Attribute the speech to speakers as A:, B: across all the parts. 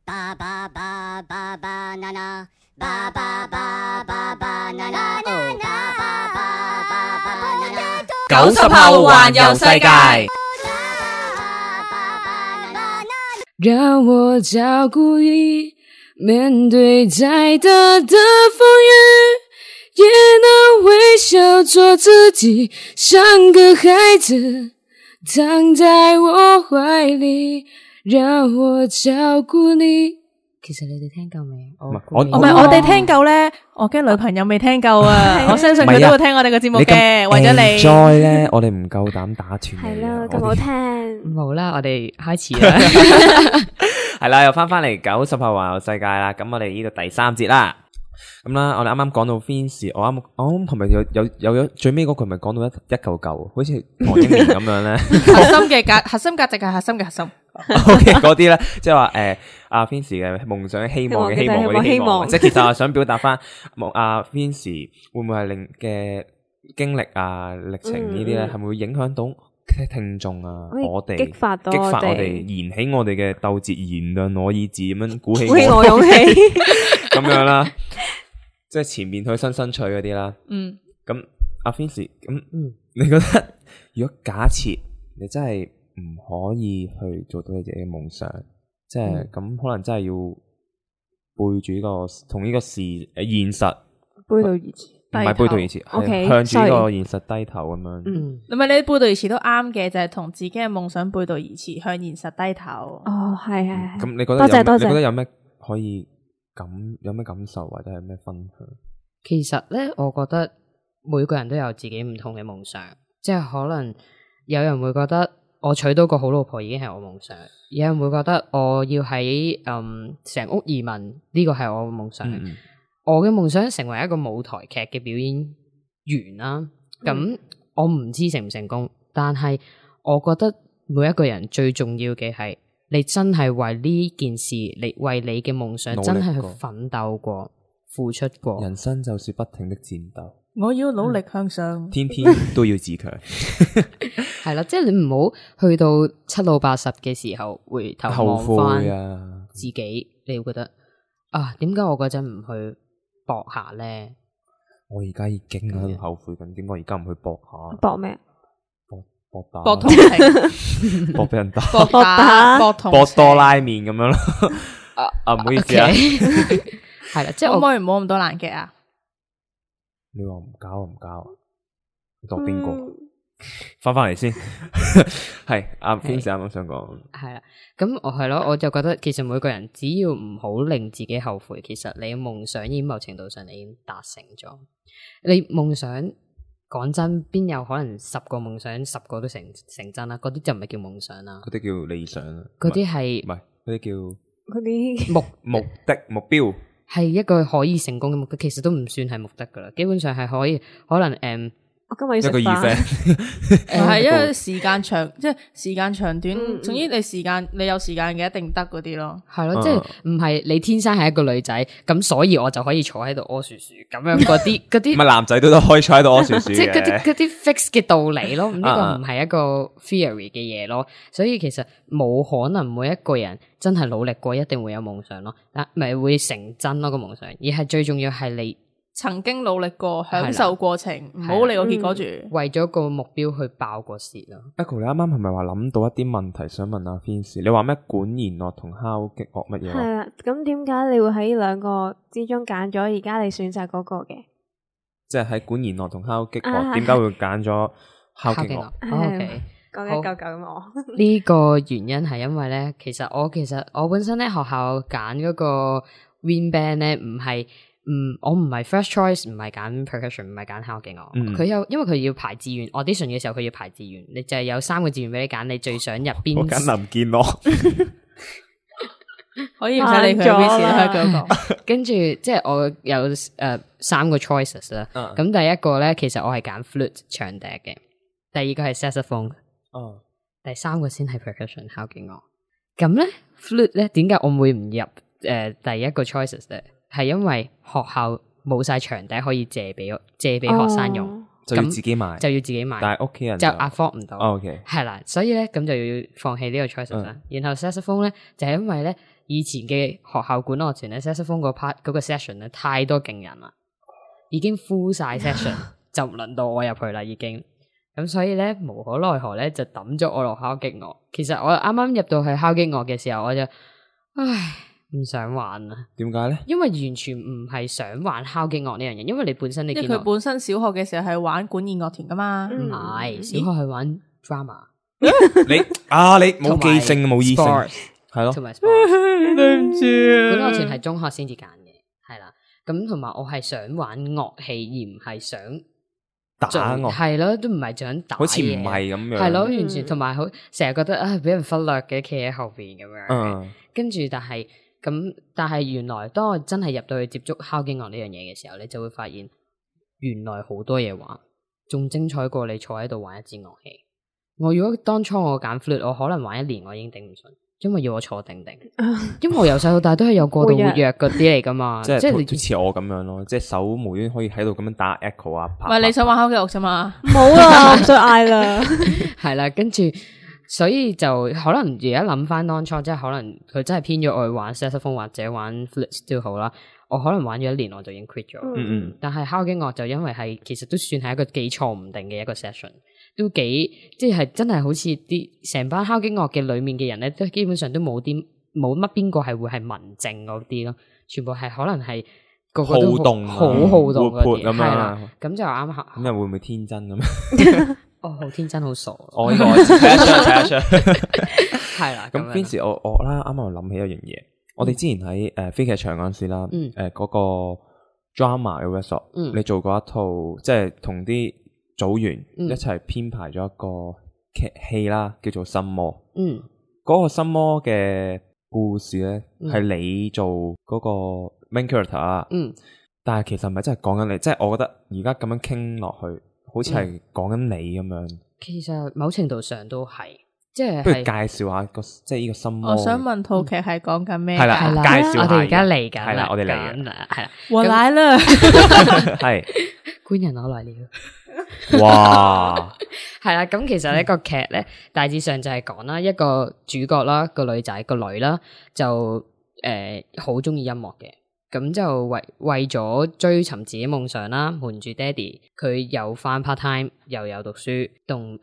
A: 90後環遊世界。
B: 讓我照顧你，面對再大的風雨，也能微笑做自己，像個孩子躺在我懷裏，讓我照顧你。其實你哋聽夠未？
C: 唔係我哋聽夠咧，我驚女朋友未聽夠啊！我相信佢都會聽我哋嘅節目嘅，為咗你。
D: 再咧，我哋唔夠膽打斷你。
E: 係啦，咁好聽。
B: 好啦，我哋開始啦。
D: 係啦，又翻嚟90後環遊世界啦。咁我哋呢度第3節啦。咁啦，我哋啱啱講到 Vince， 我啱係咪有最尾嗰句咪講到一嚿嚿，好似唐英年咁樣咧。
C: 核心價值係核心嘅核心。
D: OK， 嗰啲咧，即係話阿 Vince 嘅夢想、希望嘅希望嗰啲希望，即係其實我想表達翻阿 Vince 會唔會係令嘅經歷啊、歷程呢啲咧，係咪會影響到聽眾啊？我哋激發我哋，燃起我哋嘅鬥志，燃亮我意志，咁樣鼓起我勇氣，咁樣啦。即係前面去新趣嗰啲啦。咁阿 Vince， 你覺得如果假設你真係唔可以去做到你自己嘅夢想，即係咁可能真係要背住呢個同呢個現實
E: 背道而馳，
D: 唔係背道而馳，係向住呢個現實低頭咁樣。
C: 咁咪你背道而馳都啱嘅，就係同自己嘅夢想背道而馳，向現實低頭。
E: 哦，係。
D: 咁你覺得多謝你覺得有咩可以有咩感受或者係咩分享？
B: 其實咧，我覺得每個人都有自己唔同嘅夢想，即係可能有人會覺得我娶到個好老婆已經係我夢想，有人會覺得我要喺成屋移民呢個係我嘅夢想。我嘅夢想成為一個舞台劇嘅表演員啦。咁我唔知成唔成功，但係我覺得每一個人最重要嘅係你真係為呢件事，你為你嘅夢想真係去奮鬥過、付出過。
D: 人生就是不停的戰鬥，
C: 我要努力向上，
D: 天天都要自強。
B: 係啦，即係你唔好去到7老80嘅時候回頭望翻自己，你會覺得點解我嗰陣唔去搏下咧？
D: 我而家已經喺度後悔緊，點解而家唔去搏下？
E: 搏咩？
C: 搏同情，
D: 搏俾人打，
C: 搏
D: 多拉麵咁樣咯。唔好意思啊，
B: 係啦，即係
C: 可唔可以唔好咁多爛劇啊？
D: 你話唔交，你當邊個？翻嚟先，係阿 Vince 啱啱想講，
B: 係啦，咁我係咯，我就覺得其實每個人只要唔好令自己後悔，其實你嘅夢想已經某程度上你已經達成咗。你夢想講真，邊有可能10個夢想10個都成真啦？嗰啲就唔係叫夢想啦，
D: 嗰啲叫理想啦，
B: 嗰啲係
D: 唔係嗰啲叫
E: 嗰啲
D: 目標，
B: 係一個可以成功嘅目的，其實都唔算係目的噶啦，基本上係可能
E: 我今日要食飯，
D: 一個 event
C: 係因為時間長，即係時間長短，總之你有時間嘅一定得嗰啲咯。
B: 係咯，即係唔係你天生係一個女仔，咁所以我就可以坐喺度屙薯薯咁樣嗰啲，
D: 唔係男仔都可以坐喺度屙薯薯嘅，
B: 即係嗰啲 fix 嘅道理咯。呢個唔係一個 theory 嘅嘢咯，所以其實冇可能每一個人真係努力過一定會有夢想咯，咪會成真咯個夢想，而係最重要係你
C: 曾經努力過，享受過程，唔好理個結果住。
B: 為咗個目標去爆個蝕咯。
D: Echo， 你啱啱係咪話諗到一啲問題想問阿 Vince？ 你話咩管弦樂同敲擊樂乜嘢？
E: 係啊，咁點解你會喺兩個之中揀咗而家你選擇嗰個嘅？
D: 即係喺管弦樂同敲擊樂，點解會揀咗敲擊樂
B: ？OK，
E: 講一嚿嚿咁我。
B: 呢個原因係因為咧，其實我本身咧學校揀嗰個 Wind Band 咧我唔係 first choice， 唔係揀 percussion， 唔係揀敲擊樂。因為佢要排志願 audition 嘅時候，佢要排志願，你就係有3個志願俾你揀，你最想入邊？
D: 我揀林建樂，
C: 可以唔使理佢邊時都可以講。
B: 跟住即係我有3個 choices 啦。咁第一個咧，其實我係揀 flute 長笛嘅，第二個係 saxophone，第3個先係 percussion 敲擊樂。咁咧 flute 咧，點解我會唔入第一個 choices 咧？係因為學校冇晒長笛可以借俾學生用，
D: 就要自己買，但係屋企人
B: 就 afford 唔到。
D: OK，
B: 係啦，所以咧咁就要放棄呢個 choice 啦。然後 saxophone 咧就係因為咧以前嘅學校管樂團咧 saxophone 個 part 嗰個 session 咧太多勁人啦，已經 full 晒 session 就唔輪到我入去啦已經。咁所以咧無可奈何咧就抌咗我落敲擊樂。其實我啱啱入到去敲擊樂嘅時候，我就唔想玩啊。
D: 點解咧？
B: 因為完全唔係想玩敲擊樂呢樣嘢，因為你本身你見到
C: 因為佢本身小學嘅時候係玩管弦樂團噶嘛，
B: 唔係小學係玩 drama。
D: 你冇記性冇意性係咯，
B: 同埋 sport
C: 對唔住
B: 管樂團係中學先至揀嘅，係啦。咁同埋我係想玩樂器，而唔係想
D: 打樂，
B: 係咯，都唔係想打嘢，
D: 好似唔係咁樣，
B: 係咯，完全同埋好成日覺得俾人忽略嘅，企喺後邊咁樣。跟住但係原來當我真係入到去接觸敲擊樂呢樣嘢嘅時候，你就會發現原來好多嘢玩，仲精彩過你坐喺度玩一支樂器。我如果當初我揀 flute， 我可能玩1年我已經頂唔順，因為要我坐定定。因為我由細到大都係有過度活躍嗰啲嚟噶嘛，即係你
D: 似我咁樣咯，即係手無端可以喺度咁樣打 echo 啊，
C: 唔係你想玩敲擊樂啫嘛？
E: 冇啦，我唔想嗌啦。
B: 係啦，跟住所以就可能而家諗翻當初，即係可能佢真係偏咗我去玩 saxophone 或者玩 flute 都好啦。我可能玩咗1年我就已經 quit 咗。但係敲擊樂就因為係其實都算係一個幾錯唔定嘅一個 session。都幾即係真係好似啲成班敲擊樂嘅裏面嘅人咧，都基本上都冇乜邊個係會係文靜嗰啲咯，全部係可能係個個都
D: 好動
B: 好好動
D: 活潑咁樣，
B: 係啦，咁就啱下。
D: 咁又會唔會天真咁？
B: 哦，好天真，好傻。
D: 我呢個睇得出。
B: 係啦，
D: 咁 Vincy 我啦，啱啱我諗起一樣嘢，我哋之前喺非劇場嗰陣時啦，嗰個 drama 嘅 workshop，你做過一套即係同啲組員一齊編排咗一個劇戲啦，叫做《心魔》。嗰個《心魔》嘅故事咧，係你做嗰個 main character 啊。但係其實唔係真係講緊你，即係我覺得而家咁樣傾落去，好似係講緊你咁樣。
B: 其實某程度上都係，即係
D: 不如介紹下即係呢個《心魔》。
C: 我想問套劇係講緊咩？
D: 係啦，介紹下。
B: 我哋而家嚟緊，
D: 係啦，我哋嚟緊，
B: 係啦，
C: 我來了，
D: 係
B: 官人我來了。
D: 哇，
B: 係啦，咁其實呢個劇咧，大致上就係講啦，一個主角啦，個女仔個女啦，就好中意音樂嘅，咁就為咗追尋自己夢想啦，瞞住爹哋，佢又返 part time，又有讀書，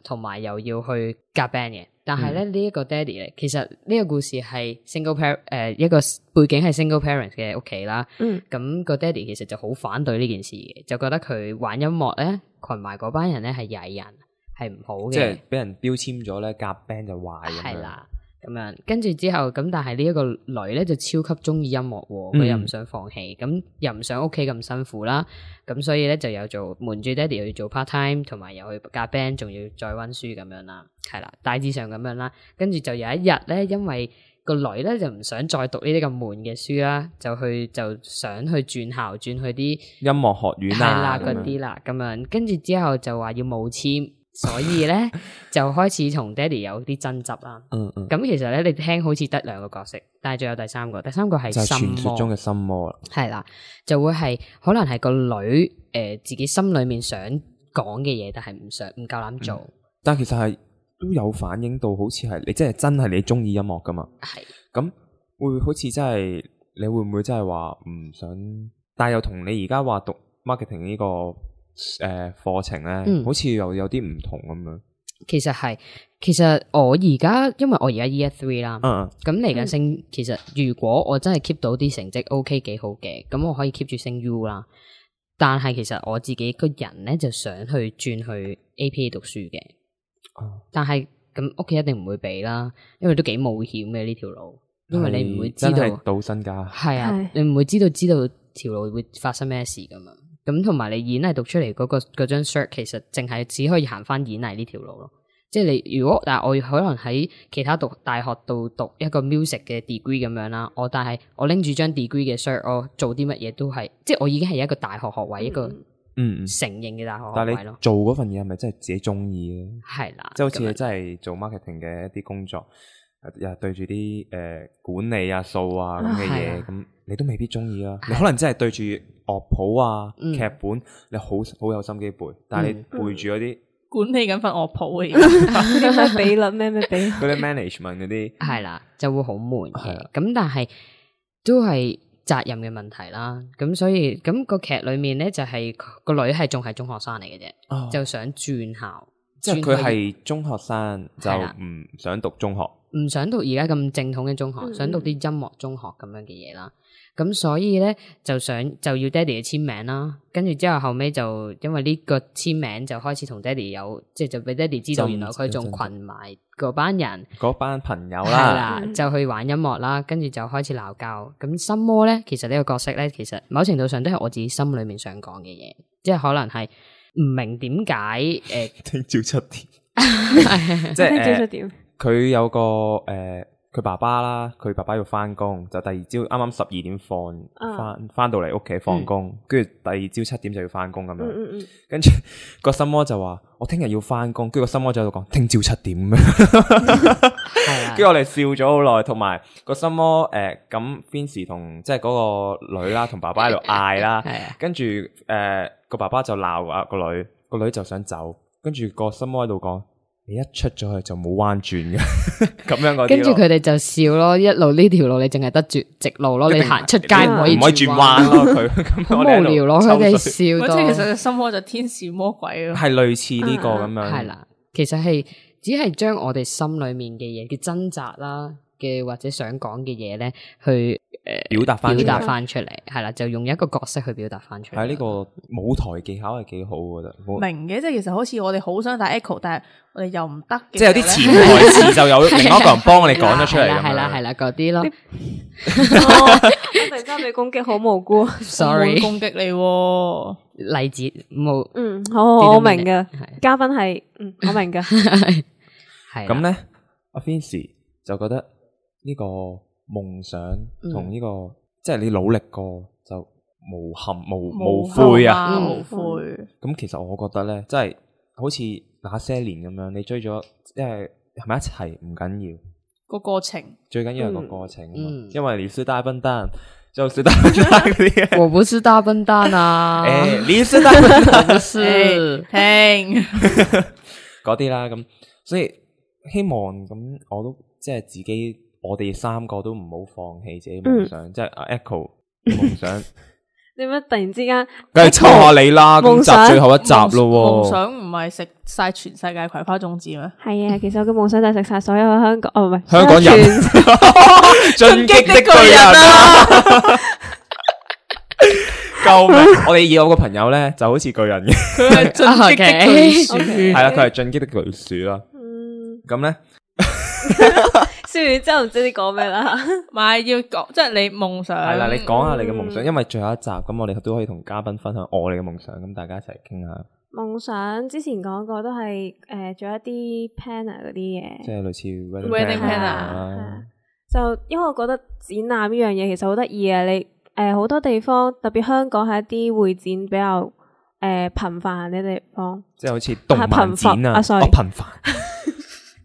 B: 同埋又要去夾 band 嘅。但係咧呢一個爹哋咧，其實呢個故事係 single parent， 一個背景係 single parent 嘅屋企啦。咁個爹哋其實就好反對呢件事嘅，就覺得佢玩音樂咧，群埋嗰班人咧係曳人，係唔好嘅。
D: 即係俾人標籤咗咧，夾 band 就壞咁樣。
B: 係啦，咁樣跟住之後，咁但係呢一個女咧就超級中意音樂，佢又唔想放棄，咁又唔想屋企咁辛苦啦，咁所以咧就有做瞞住爹哋又要做 part time， 同埋又去夾 band， 仲要再溫書咁樣啦，係啦，大致上咁樣啦。跟住就有一日咧，因為個女咧就唔想再讀呢啲咁悶嘅書啦，就想去轉校，轉去啲
D: 音樂學院啊
B: 嗰啲啦，咁樣跟住之後就話要冒簽。所以咧就開始同爹哋有啲爭執啦。咁其實咧你聽好似得2個角色，但係仲有第三個係心魔，
D: 傳說中嘅心魔啦。
B: 係啦，就會係可能係個女自己心裏面想講嘅嘢，但係唔夠膽做。
D: 但其實係都有反映到，好似係你真係你中意音樂噶嘛？係。咁會好似真係你會唔會真係話唔想？但係又同你而家話讀 marketing 呢個課程咧，好似又有啲唔同咁樣。
B: 其實我而家因為我而家 Year 3啦，咁嚟緊升。其實如果我真係 keep 到啲成績 OK 幾好嘅，咁我可以 keep 住升 U 啦。但係其實我自己個人咧就想去轉去 APA 讀書嘅。但係咁屋企一定唔會俾啦，因為都幾冒險嘅呢條路，因為你唔會知道
D: 賭身家。係
B: 啊，你唔會知道條路會發生咩事噶嘛。咁同埋你演藝讀出嚟嗰張 cert， 其實淨係只可以行翻演藝呢條路咯。即係你如果但係我可能喺其他大學度讀一個 music 嘅 degree 咁樣啦，但係我拎住張 degree 嘅 cert， 我做啲乜嘢都係，即係我已經係一個大學學位，一個承認嘅大學學位咯。
D: 但係你做嗰份嘢係咪真係自己中意咧？
B: 係啦，
D: 即係好似你真係做 marketing 嘅一啲工作，又係對住啲管理啊、數啊咁嘅嘢，咁你都未必中意啦。你可能真係對住樂譜啊、劇本，你好有心機背，但係你背住嗰啲
C: 管理緊份樂譜嘅，
E: 啲咩比率咩比率，
D: 嗰啲 management 嗰啲
B: 係啦，就會好悶嘅。
D: 係啊
B: 咁但係都係責任嘅問題啦。咁所以咁個劇裏面咧就係個女係仲係中學生嚟嘅啫，
D: 哦
B: 就想轉校，
D: 即係佢
B: 轉去
D: 係中學生就
B: 係啦
D: 唔想讀中學。
B: 唔想讀而家咁正統嘅中學，想讀啲音樂中學咁樣嘅嘢啦。咁所以咧就要爹哋嘅簽名啦。跟住之後後尾就因為呢個簽名就開始同爹哋有，即係就俾爹哋知道原來佢仲群埋嗰班人。
D: 嗰班朋友
B: 係
D: 啦，
B: 啦，就去玩音樂啦，跟住就開始鬧交。咁心魔咧，其實呢個角色咧，其實某程度上都係我自己心裏面想講嘅嘢，即係可能係唔明點解
D: 聽朝7點，即
E: 聽朝
D: 係
E: 7點。
D: 佢有個佢爸爸啦，佢爸爸要翻工，就第二朝啱啱12點翻到嚟屋企放工，跟住第二朝7點就要翻工咁樣。跟住個心魔就話：我聽日要翻工。跟住個心魔就喺度講：聽朝7點咁樣。跟住我哋笑咗好耐，同埋個心魔咁 Vincy 同即係嗰個女啦，同爸爸喺度嗌啦。跟住個爸爸就鬧啊個女，個女就想走，跟住個心魔喺度講。你一出咗去就冇彎轉嘅，咁樣嗰啲。
B: 跟住佢哋就笑咯，一路呢條路你淨係得直路咯，你行出街唔可以
D: 轉彎咯。佢咁
B: 好無聊咯，佢哋笑到。
C: 即係其實心魔就天使魔鬼咯，
D: 係類似呢個咁樣。
B: 係啦，其實係只係將我哋心裏面嘅嘢嘅掙扎啦嘅或者想講嘅嘢咧，去
D: 表達翻
B: 出嚟，係啦，就用一個角色去表達翻出嚟。
D: 係呢個舞台技巧係幾好，我覺得。
C: 明嘅，即係其實好似我哋好想打 echo，但係我哋又唔得嘅。
D: 即係有啲潛台詞就有另一個人幫我哋講咗出嚟咁樣。
B: 係啦，嗰啲咯。
E: 我突然間被攻擊，好無辜。
B: Sorry，
C: 攻擊你
B: 例子冇。
E: 好，我明嘅。嘉賓係我明嘅。
B: 係
D: 咁咧，阿 Vincy 就覺得呢個夢想同呢個即係你努力過就無悔啊，
C: 無悔。
D: 咁其實我覺得咧，即係好似那些年咁樣，你追咗，即係咪一齊唔緊要，
C: 個過程
D: 最緊要係個過程。因為你是大笨蛋，就是大笨蛋嗰啲。
B: 我不是大笨蛋啊！
D: 你是大笨蛋，
B: 不是
C: 聽
D: 嗰啲啦。咁所以希望咁，我都即係自己。我哋3個都唔好放棄自己夢想，即係阿 Echo 夢想。
E: 點解突然之間？
D: 梗係抽下你啦！今集最後一集咯。
C: 夢想唔係食晒全世界葵花種子咩？
E: 係啊，其實我嘅夢想就係食晒所有香港，唔係
D: 香港人。進擊的巨人啊！救命！我哋有個朋友咧，就好似巨人嘅，
C: 佢係進擊的巨樹，
D: 係啦，佢係進擊的巨樹啦。咁咧。
E: 笑完之後唔知你講咩啦，
C: 唔係要講，即係你夢想
D: 係啦，你講下你嘅夢想，因為最後一集咁，我哋都可以同嘉賓分享我哋嘅夢想，咁大家一齊傾下。
E: 夢想之前講過都係做一啲 planner 嗰啲嘢，
D: 即係類似
C: wedding
E: planner。就因為我覺得展覽呢樣嘢其實好得意啊，你好多地方特別香港係一啲會展比較頻繁嘅地方，
D: 即係好似動漫展啊，頻繁。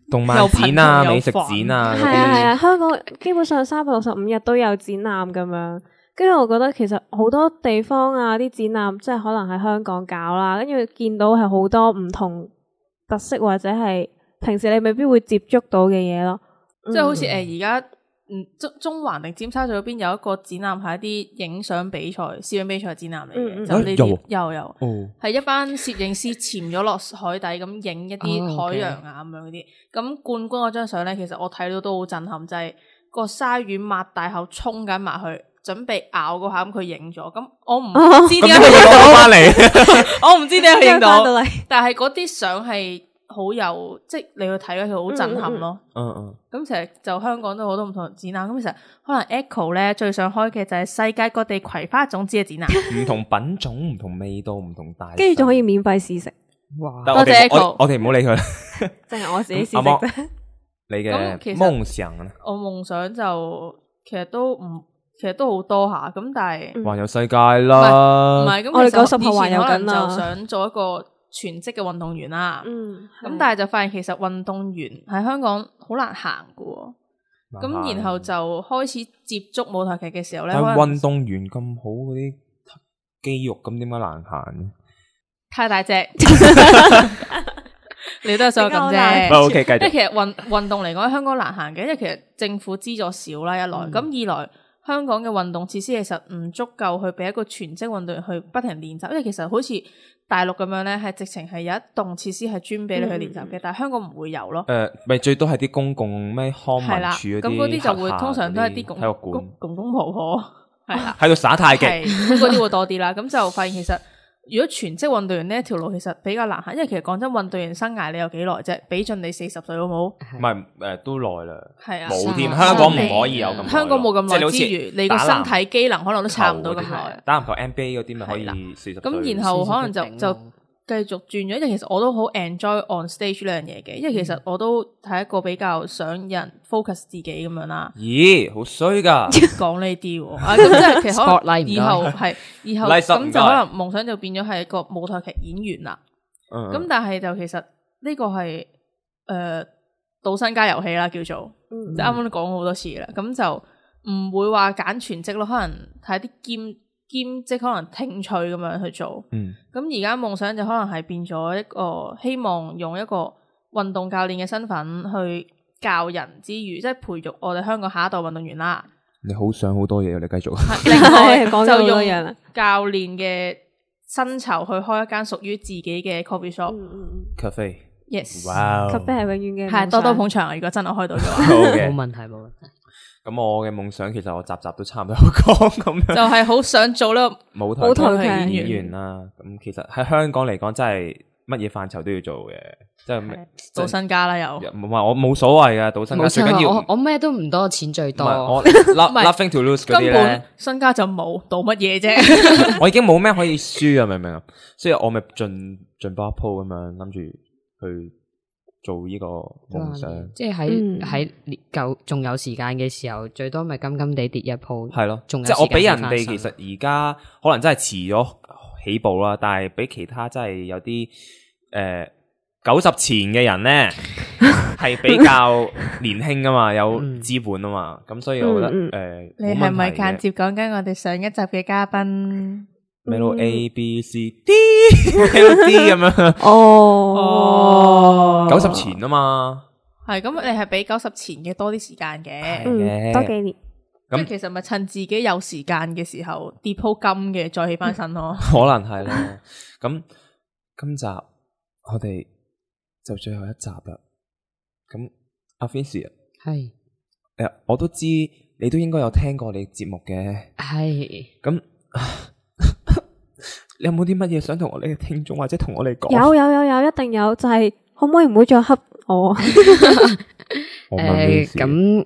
D: 動漫展啊，美食展啊，
E: 係啊，香港基本上365日都有展覽咁樣。跟住我覺得其實好多地方啊，啲展覽即係可能喺香港搞啦，跟住見到係好多唔同特色或者係平時你未必會接觸到嘅嘢咯。
C: 即係好似而家中環定尖沙咀嗰邊有一個展覽係一啲影相比賽、攝影比賽展覽嚟嘅，就呢啲有係一班攝影師潛咗落海底咁影一啲海洋啊咁樣嗰啲。咁冠軍嗰張相咧，其實我睇到都好震撼，就係個鯊魚擘大口衝緊埋去，準備咬嗰下咁佢影咗。咁我唔知點解佢影到翻嚟，我唔知點解佢影到，但係嗰啲相係好有，即係你去睇咧，佢好震撼咯。咁其實就香港都好多唔同展覽，咁其實可能 Echo 咧最想開嘅就係世界各地葵花種子嘅展覽，
D: 唔同品種、唔同味道、唔同大，
E: 跟住仲可以免費試食。
B: 哇！
C: 多謝 Echo，
D: 我哋唔好理佢啦，
E: 淨係我自己試食啫。
D: 你嘅夢想啊？
C: 我夢想就其實都好多下，咁但係
D: 環遊世界啦，
C: 唔係咁，
E: 我哋90後
C: 環遊
E: 緊啦，
C: 就想做一個全職嘅運動員啦。咁但係就發現其實運動員喺香港好難行㗎，咁然後就開始接觸舞台劇嘅時候咧，
D: 但係運動員咁好嗰啲肌肉，咁點解難行？
C: 太大隻，你都係想咁啫。
D: O K， 繼續。
C: 即係其實運動嚟講，香港難行嘅，因為其實政府資助少啦，一來咁二來。香港嘅運動設施其實唔足夠去俾一個全職運動員去不停練習，因為其實好似大陸咁樣咧，係直情係有一棟設施係專俾你去練習嘅，但係香港唔會有咯。
D: 咪最多係啲公共咩康文署嗰啲，
C: 咁嗰啲就會通常都係啲公公婆婆係啦，
D: 喺度耍太極，
C: 咁嗰啲會多啲啦。咁就發現其實。如果全職運動員呢一條路其實比較難行，因為其實講真，運動員生涯你有幾耐啫？比盡你40歲好冇？
D: 唔係都耐啦，
C: 係啊，
D: 冇添。香港唔可以有咁耐，
C: 香港冇咁耐之餘，你個身體機能可能都差唔多咁耐。
D: 打籃球 NBA 嗰啲咪可以40歲。
C: 咁然後可能就繼續轉咗，因為其實我都好 enjoy on stage 呢樣嘢嘅，因為其實我都係一個比較想人 focus 自己咁樣啦。
D: 咦，好衰噶！
C: 講呢啲喎，咁即係其實可能以後咁就可能夢想就變咗係一個舞台劇演員啦。咁但係就其實呢個係賭身家遊戲啦，叫做即係啱啱都講好多次啦。咁就唔會話揀全職咯，可能睇啲兼職可能興趣咁樣去做，咁而家夢想就可能係變咗一個希望用一個運動教練嘅身份去教人之餘，即係培育我哋香港下一代運動員啦。
D: 你好想好多嘢，你繼續。
C: 另外就用教練嘅薪酬去開一間屬於自己嘅 coffee shop
D: cafe。Yes，
C: 哇
E: cafe 係永遠嘅，
C: 係多多捧場啊！如果真係開到嘅話，
B: 冇問題冇問題。
D: 咁我嘅夢想其實我集都差唔多講咁樣，
C: 就係好想做呢個
D: 舞台劇演員啦。咁其實喺香港嚟講，真係乜嘢範疇都要做嘅，即係
C: 賭身家啦又。
D: 唔係我冇所謂嘅賭身家，最緊要
B: 我咩都唔多，錢最多。
D: 我 nothing to lose 嗰啲咧，
C: 根本身家就冇，賭乜嘢啫？
D: 我已經冇咩可以輸啊，明唔明啊？所以我咪盡波一鋪咁樣諗住去做呢個夢想，
B: 即係喺夠仲有時間嘅時候，最多咪金金地跌一鋪。
D: 係咯，即係我比人哋其實而家可能真係遲咗起步啦，但係比其他真係有啲90前嘅人咧係比較年輕噶嘛，有資本啊嘛，咁所以我覺得
C: 你係咪間接講緊我哋上一集嘅嘉賓？
D: 咩咯 A B C D L D 咁樣90前啊嘛，
C: 係咁你係比90前嘅多啲時間嘅，
E: 多幾年。
C: 咁其實咪趁自己有時間嘅時候跌鋪金嘅，再起翻身咯。
D: 可能係啦。咁今集我哋就最後一集啦。咁阿 Fancy
B: 係
D: 我都知你都應該有聽過你節目嘅。
B: 係
D: 咁。你有冇啲乜嘢想同我哋嘅聽眾或者同我哋講？
E: 有，一定有，就係可唔可以唔好再恰我？
B: 咁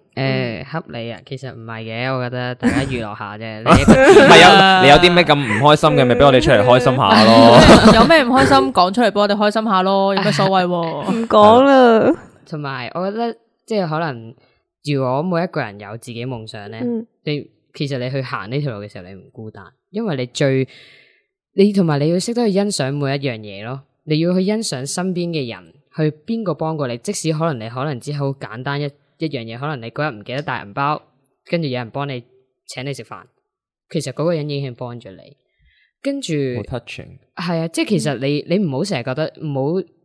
B: 恰你啊？其實唔係嘅，我覺得大家娛樂下啫。
D: 你有啲咩咁唔開心嘅，咪俾我哋出嚟開心下咯。
C: 有咩唔開心講出嚟俾我哋開心下咯，有咩所謂？
E: 唔講啦。
B: 同埋，我覺得即係可能，如果每一個人有自己夢想咧，其實你去行呢條路嘅時候，你唔孤單，因為你同埋你要識得去欣賞每一樣嘢咯，你要去欣賞身邊嘅人，去邊個幫過你，即使可能你可能只好簡單一樣嘢，可能你嗰日唔記得帶銀包，跟住有人幫你請你食飯，其實嗰個人已經幫咗你，跟住
D: 好 touching，
B: 係啊，即係其實你唔好成日覺得，唔好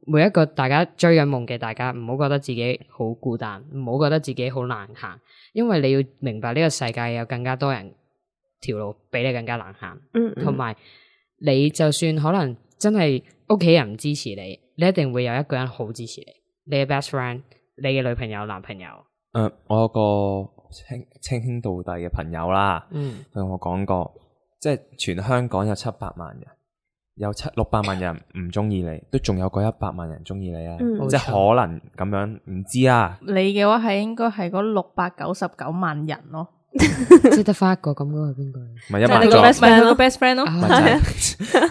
B: 每一個大家追緊夢嘅大家，唔好覺得自己好孤單，唔好覺得自己好難行，因為你要明白呢個世界有更加多人條路比你更加難行，同埋。你就算可能真係屋企人唔支持你，你一定會有一個人好支持你，你嘅 best friend， 你嘅女朋友、男朋友。
D: 我有個稱兄道弟嘅朋友啦，同我講過，即係全香港有700萬人，有600萬人唔中意你，都仲有嗰100萬人中意你啊！即係可能咁樣，唔知啊。你
C: 嘅話係應該係嗰699萬人咯。
B: 即係得翻一個咁嗰個係邊個？
D: 唔係1萬
C: 個 best friend 咯，個 best friend 咯。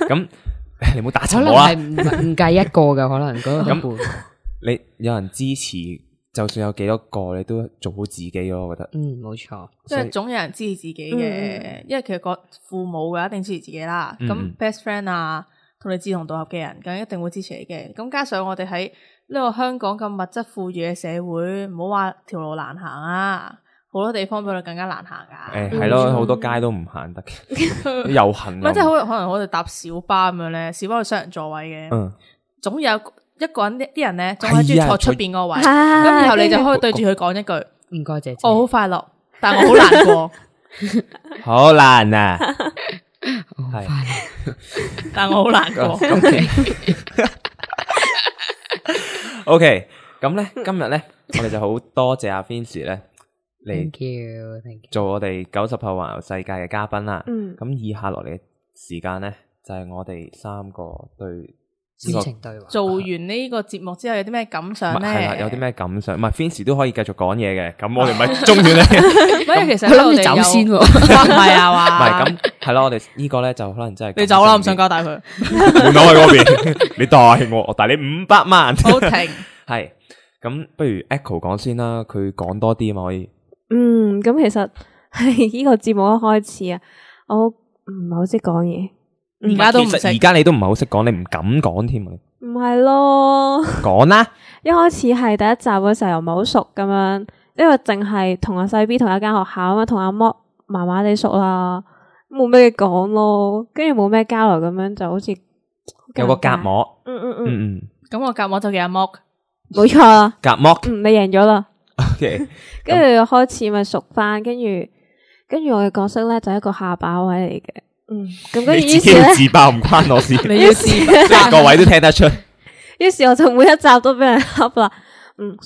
D: 咁你唔好打沉我啦。
B: 可能係唔計一個嘅，可能嗰個
D: 咁你有人支持，就算有幾多個，你都做好自己咯。我覺得
B: 冇錯，
C: 即係總有人支持自己嘅，因為其實個父母嘅一定支持自己啦。咁 best friend 啊，同你志同道合嘅人，咁一定會支持你嘅。咁加上我哋喺呢個香港咁物質富裕嘅社會，唔好話條路難行啊。好多地方比我哋更加難行噶，
D: 係咯，好多街都唔行得嘅，遊行。
C: 唔係即係可能我哋搭小巴咁樣咧，小巴係雙人座位嘅，總有一個人啲人咧，總係中意坐出邊個位，咁然後你就可以對住佢講一句
B: 唔該姐姐，
C: 我好快樂，但我好難過，
D: 好難啊，係，
C: 但我好難過。
D: OK，咁咧今日咧，我哋就好多謝阿 Vincy 咧嚟
B: Thank you，
D: 做我哋90後環遊世界嘅嘉賓啦。咁以下落嚟嘅時間咧，就係我哋三個對
B: 知情對話。
C: 做完呢個節目之後有啲咩感想咧？
D: 係啦，有啲咩感想？唔係 Vincy 都可以繼續講嘢嘅。咁我哋咪中斷你。
C: 唔係，其實
B: 佢諗住走先喎。
C: 唔係啊嘛。
D: 唔係咁，係咯，我哋呢個咧就可能真係
C: 你走啦，唔想交代佢。
D: 門口喺嗰邊，你帶我帶你500萬。
C: 好停。
D: 係咁，不如 Echo 講先啦，佢講多啲啊嘛，可以。
E: 咁其實係呢個節目一開始啊，我唔係好識講嘢，
C: 而家都唔識。
D: 而家你都唔係好識講，你唔敢講添啊。
E: 唔係咯，
D: 講啦。
E: 一開始係第一集嗰時候又唔係好熟咁樣，因為淨係同阿細 B 同一間學校啊嘛，同阿莫麻麻地熟啦，冇咩講咯，跟住冇咩交流咁樣，就好似
D: 有個隔膜。
C: 咁我隔膜就叫阿莫，
E: 冇錯啦。
D: 隔膜。
E: 你贏咗啦。
D: OK，
E: 跟住開始咪熟翻，跟住我嘅角色咧就係一個下巴位嚟嘅，咁跟住於是咧
D: 自爆唔關我事，
C: 你要自爆，
D: 各位都聽得出。
E: 於是我就每一集都俾人恰啦，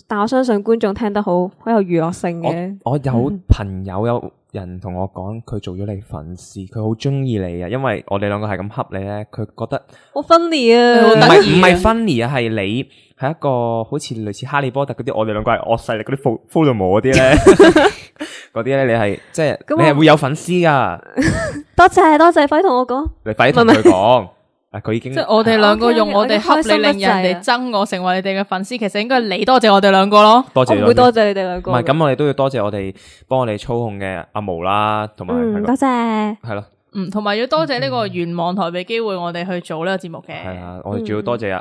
E: 但我相信觀眾聽得好有娛樂性嘅。
D: 我有朋友有人同我講，佢做咗你粉絲，佢好中意你啊，因為我哋兩個係咁恰你咧，佢覺得
E: 好 funny 啊，
D: 唔係 funny 啊，係你係一個好似類似哈利波特嗰啲，我哋兩個係惡勢力嗰啲 Voldemort 嗰啲咧，嗰啲咧你係即係你係會有粉絲噶。
E: 多謝，快同我講，
D: 你快同佢講。佢已經
C: 即係我哋兩個用我哋恰你，令人哋憎我，成為你哋嘅粉絲。其實應該你多謝我哋兩個咯。
D: 多謝，
E: 我會多謝你哋兩個。
D: 唔係咁，我哋都要多謝我哋幫我哋操控嘅阿毛啦，同埋
E: 多謝。
D: 係咯，
C: 同埋要多謝呢個願望台俾機會我哋去做呢個節目嘅。
D: 係啊，我哋仲要多謝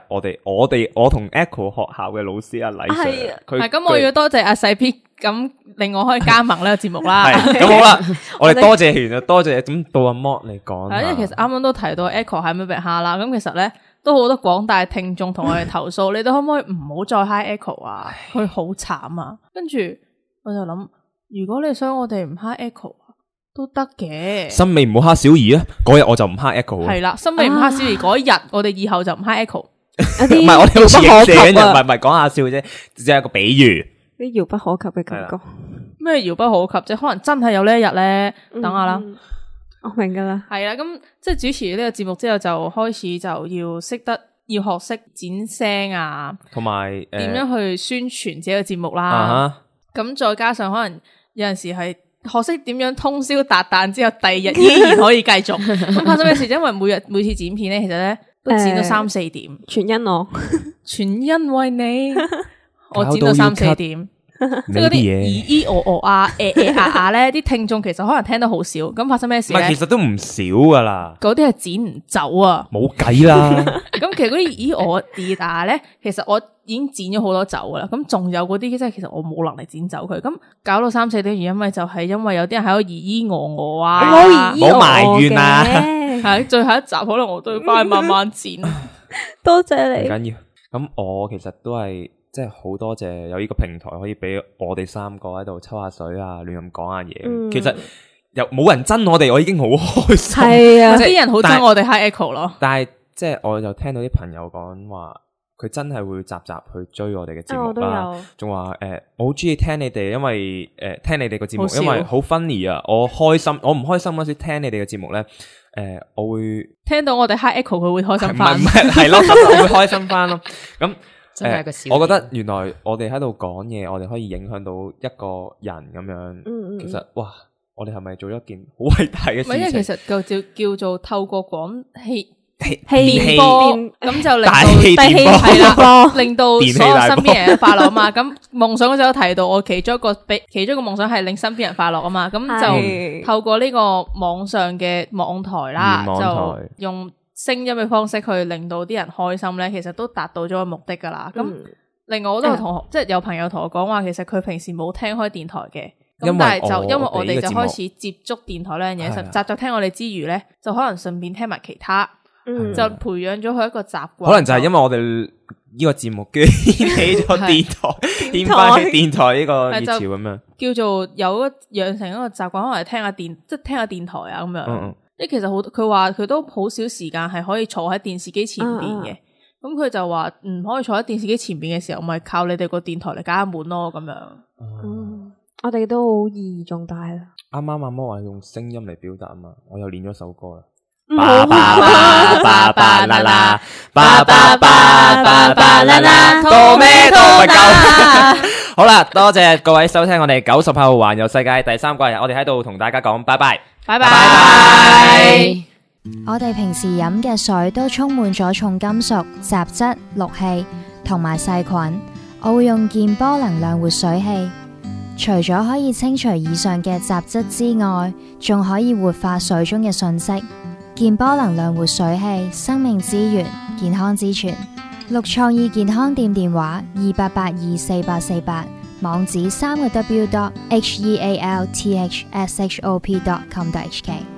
D: 我同 Echo 學校嘅老師阿禮 Sir。
C: 係咁，我要多謝阿細 P，咁令我可以加盟呢個節目啦。
D: 係咁好啦，我哋多謝完就多謝，咁到阿 Mo 嚟講。
C: 係因為其實啱啱都提到 Echo 係咪被蝦啦？咁其實咧都好多廣大聽眾同我哋投訴，你哋可唔可以唔好再 hi Echo 啊？佢好慘啊！跟住我就諗，如果你想我哋唔 hi Echo 都得嘅。
D: 森美唔好蝦小儀啊！嗰日我就唔蝦 Echo。係
C: 啦，森美唔蝦小儀嗰日，我哋以後就唔 hi Echo。
D: 唔係我哋好似影射緊人，唔係講下笑啫，只係一個比喻。
E: 啲遙不可及嘅感覺。
C: 咩遙不可及啫？可能真係有呢一日咧，等下啦。
E: 我明噶啦。
C: 係啦，咁即係主持呢個節目之後，就開始就要學識剪聲啊，
D: 同埋
C: 點樣去宣傳自己嘅節目啦。咁再加上可能有陣時係學識點樣通宵達旦之後，第二日依然可以繼續。咁發生咩事？因為每次剪片咧，其實咧都剪到3-4點。
E: 全因我，
C: 全因為你。我剪到3-4點，即係嗰啲咧，啲聽眾其實可能聽得好少。咁發生咩事咧？
D: 其實都唔少噶啦。
C: 嗰啲係剪唔走啊，
D: 冇計啦。
C: 咁其實嗰啲咧，其實我已經剪咗好多走噶啦。咁仲有嗰啲，即係其實我冇能力剪走佢。咁搞到3-4點，因為就係因為有啲人喺度啊，
D: 冇埋怨啊。
C: 係最後一集，可能我都要翻去慢慢剪。
E: 多謝你。
D: 唔緊要。咁我其實都係。即係好多謝有呢個平台可以俾我哋三個喺度抽下水啊，亂咁講下嘢。其實又冇人憎我哋，我已經好開心。
E: 係啊，
C: 啲人好憎我哋 hi Echo 咯。
D: 但係即係我就聽到啲朋友講話，佢真係會集去追我哋嘅節目啦。仲話我好中意聽你哋，因為聽你哋個節目，因為好 funny 啊。我開心，我唔開心嗰時聽你哋嘅節目咧，我會聽到我哋 hi Echo，佢會開心翻。唔係咯，我會開心翻咯。咁。我覺得原來我哋喺度講嘢，我哋可以影響到一個人咁樣。其實哇，我哋係咪做咗一件好偉大嘅事情？因為其實叫做透過廣氣電波，咁就令到所有身邊人快樂啊嘛。咁夢想嗰時有提到，我其中一個夢想係令身邊人快樂啊嘛。咁就透過呢個網上嘅網台啦，就用聲音嘅方式去令到啲人開心咧，其實都達到咗個目的噶啦。咁另外我都有同學，即係有朋友同我講話，其實佢平時冇聽開電台嘅，咁但係就因為我哋就開始接觸電台呢樣嘢，實習聽我哋之餘咧，就可能順便聽埋其他，就培養咗佢一個習慣。可能就係因為我哋呢個節目居然掀起咗電台，掀翻起電台呢個熱潮咁樣，
C: 叫做有養成一個習慣，可能係聽下電台啊咁樣。其實佢話佢都好少時間係可以坐喺電視機前邊嘅。咁佢就話唔可以坐喺電視機前邊嘅時候，咪靠你哋個電台嚟解下悶咯咁樣。
E: 我哋都好意義重大啦。
D: 啱啱阿摩話用聲音嚟表達啊嘛，我又練咗首歌啦。
A: 巴巴巴巴巴啦啦，巴巴巴巴巴啦啦，多咩多啦。
D: 好啦，多謝各位收聽我哋90後環遊世界第3季，我哋喺度同大家講拜拜，
C: 拜拜。
F: 我哋平時飲嘅水都充滿咗重金屬、雜質、氯氣同埋細菌。我會用健波能量活水器，除咗可以清除以上嘅雜質之外，仲可以活化水中嘅信息。健波能量活水器，生命之源，健康之泉。綠創意健康店電話28824848，網址3個W.healthshop.com.hk。